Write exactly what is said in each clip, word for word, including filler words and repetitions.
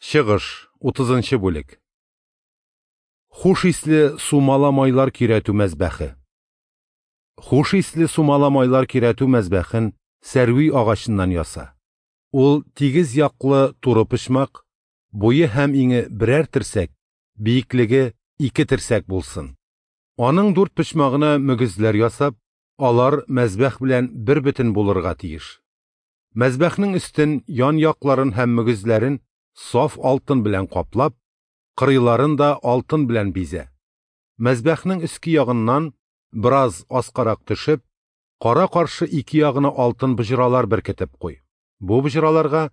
Чыгыш, утызынчы бүлек. Хуш исле сумала майлар көйрәтү мәзбәхе. Хуш исле сумала майлар көйрәтү мәзбәхен сәрви агачыннан яса. Ул тигез яклы туры почмак, буе һәм иңе берәр терсәк, биеклеге ике терсәк булсын. Аның дүрт почмагына мөгезләр ясап, алар мәзбәх белән бер бөтен булырга тиеш. Мәзбәхнең өстен, ян якларын һәм мөгезләрен саф алтын белән каплап, кырыйларын да алтын белән бизә. Мәзбәхнең өске ягыннан бераз аскарак төшеп, кара-каршы ике ягына алтын боҗралар беркетеп куй. Бу боҗраларга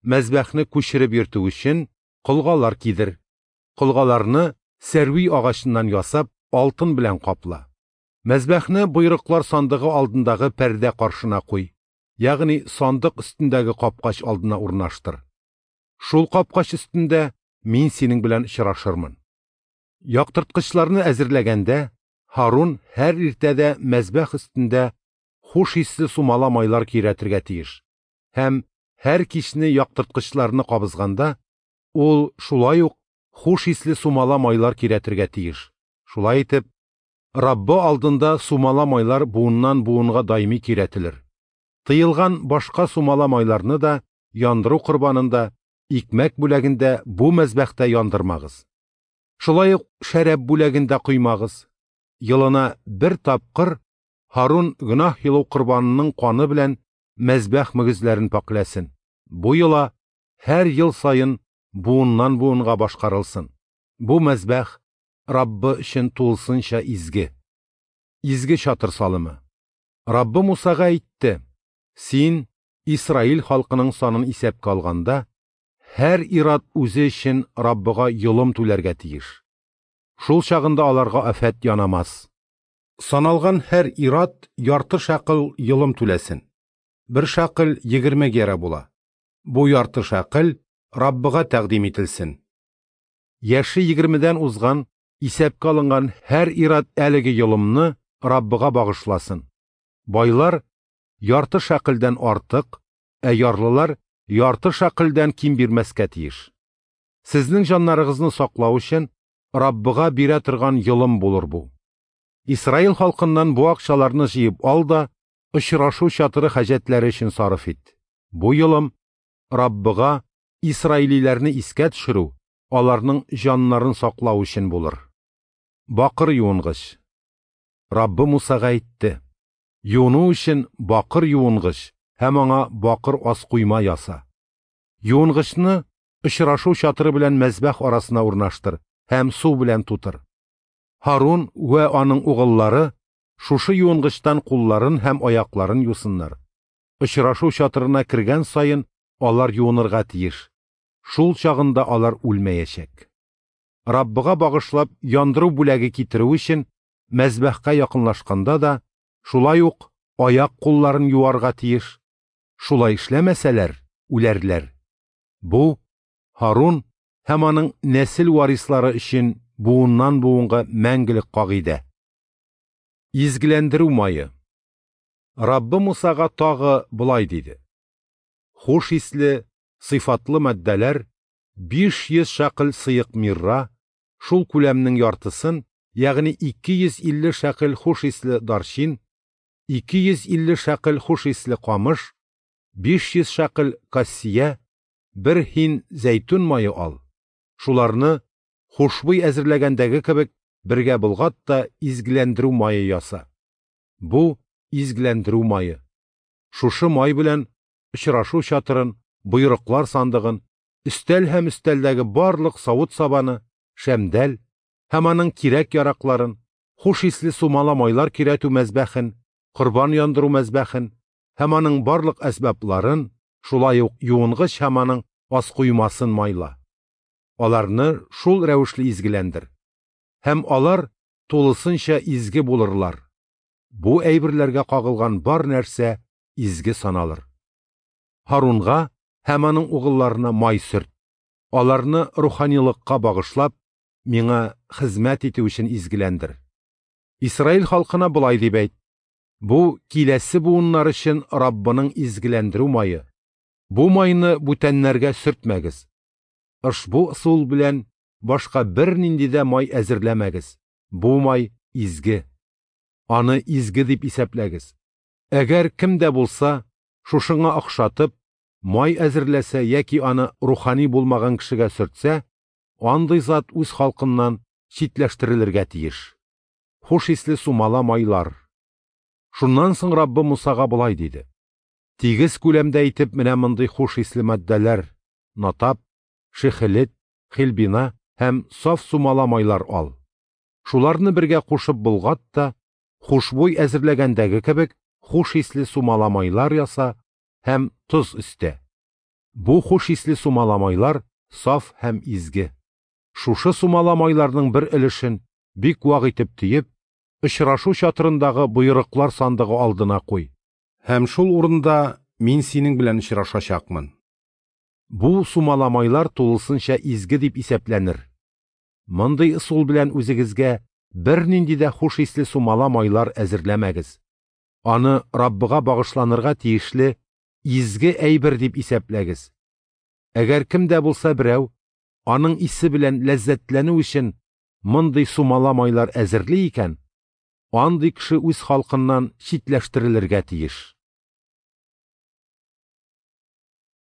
мәзбәхне күчереп йөртү өчен колгалар кидер. Колгаларны сәрви агачыннан ясап, алтын белән капла. Мәзбәхне боерыклар сандыгы алдындагы пәрдә каршына куй, ягъни сандык өстендәге капкач алдына урнаштыр. Шул капкач өстендә мин синең белән очрашырмын. Яктырткычларны әзерләгәндә, Һарун һәр иртәдә мәзбәх өстендә хуш исле сумала майлар көйрәтергә тиеш. Һәм һәр кичне яктырткычларны кабызганда, ул шулай ук хуш исле сумала майлар көйрәтергә тиеш. Шулай итеп, Раббы алдында сумала майлар буыннан буынга даими көйрәтелер. Тыелган башка сумала майларны да яндыру корбанында, икмәк бүләгендә бу мәзбәхтә яндырмагыз. Шулай ук шәраб бүләгендә коймагыз. Елына бер тапкыр Һарун гөнаһ йолу корбанының каны белән мәзбәх мөгезләрен пакьләсен. Бу йола һәр ел саен буыннан буынга башкарылсын. Бу мәзбәх Раббы өчен тулысынча изге. Изге чатыр салымы. Раббы Мусага әйтте: "Син Исраил халкының санын исәпкә алганда, һәр ир-ат үзе өчен Раббыга йолым түләргә тиеш. Шул чагында аларга афәт янамас. Саналган һәр ир-ат ярты шәкел йолым түләсен. Бер шәкел егерме гера була. Бу ярты шәкел Раббыга тәкъдим ителсен. Яше егермедән узган, исәпкә алынган һәр ир-ат әлеге йолымны Раббыга багышласын. Байлар ярты шәкелдән артык, ә ярлылар ярты шәкелдән ким бирмәскә тиеш. Сезнең җаннарыгызны саклау өчен Раббыга бирә торган йолым булыр бу. Исраил халкыннан бу акчаларны җыеп ал да очрашу чатыры хаҗәтләре өчен сарыф ит. Бу йолым Раббыга исраилиләрне искә төшерү, аларның җаннарын саклау өчен булыр. Бакыр юынгыч. Раббы Мусага әйтте: "Юыну өчен бакыр юынгыч һәм аңа бакыр аскуйма яса. Юынгычны очрашу чатыры белән мәзбәх арасына урнаштыр һәм су белән тутыр. Һарун вә аның угыллары шушы юынгычтан кулларын һәм аякларын юсыннар. Очрашу чатырына кергән саен алар юынырга тиеш. Шул чагында алар үлмәячәк. Раббыга багышлап яндыру бүләге китерү өчен мәзбәхкә якынлашканда да шулай ук аяк кулларын юарга тиеш. Шулай эшләмәсәләр, үләрләр. Бу Һарун һәм аның нәсел варислары өчен буыннан буынга мәңгелек кагыйдә. Изгеләндерү мае. Раббы Мусага тагы болай диде: Хуш исле, сыйфатлы матдәләр биш йөз шәкел сыек мирра, шул күләмнең яртысын, ягъни ике йөз илле шәкел хуш исле дарчин, ике йөз илле шәкел хуш исле камыш, биш йөз шәкел кассия, бер һин зәйтүн мае ал. Шуларны хушбуй әзерләгәндәге кебек бергә болгат та изгеләндерү мае яса. Бу изгеләндерү мае. Шушы май белән очрашу чатырын, боерыклар сандыгын, өстәл һәм өстәлдәге барлык савыт-сабаны, шәмдәл һәм аның кирәк-яракларын, хуш исле сумала майлар көйрәтү мәзбәхен, корбан яндыру мәзбәхен һәм аның барлык әсбапларын, шулай ук юынгыч һәм аның аскуймасын майла. Аларны шул рәвешле изгеләндер. Һәм алар тулысынча изге булырлар. Бу әйберләргә кагылган бар нәрсә изге саналыр. Һарунга һәм аның угылларына май сөрт. Аларны руханилыкка багышлап, миңа хезмәт итү өчен изгеләндер. Исраил халкына болай дип әйт: Бу киләсе буыннар өчен Раббының изгеләндерү мае. Бу майны бүтәннәргә сөртмәгез. Ошбу ысул белән башка бернинди дә май әзерләмәгез. Бу май изге. Аны изге дип исәпләгез. Әгәр кем дә булса, шушыңа охшатып, май әзерләсә яки аны рухани булмаган кешегә сөртсә, андый зат үз халкыннан читләштерелергә тиеш. Хуш исле сумала майлар. Шуннан соң Раббы Мусага болай диде: Тигез күләмдә итеп менә мондый хуш исле матдәләр – натап, шехелет, хилбина һәм саф сумала майлар ал. Шуларны бергә кушып болгат та, хушбуй әзерләгәндәге кебек, хуш исле сумала майлар яса һәм тоз өстә. Бу хуш исле сумала майлар саф һәм изге. Шушы сумала майларның бер өлешен бик вак итеп төеп, очрашу чатырындагы боерыклар сандыгы алдына куй. Һәм шул урында мин синең белән очрашачакмын. Бу сумала майлар тулысынча изге дип исәпләнер. Мондый ысул белән үзегезгә бернинди дә хуш исле сумала майлар әзерләмәгез. Аны Раббыга багышланырга тиешле изге әйбер дип исәпләгез. Әгәр кем дә булса берәү аның исе белән ләззәтләнү өчен мондый сумала майлар әзерли икән, андый кеше үз халкыннан читләштерелергә тиеш.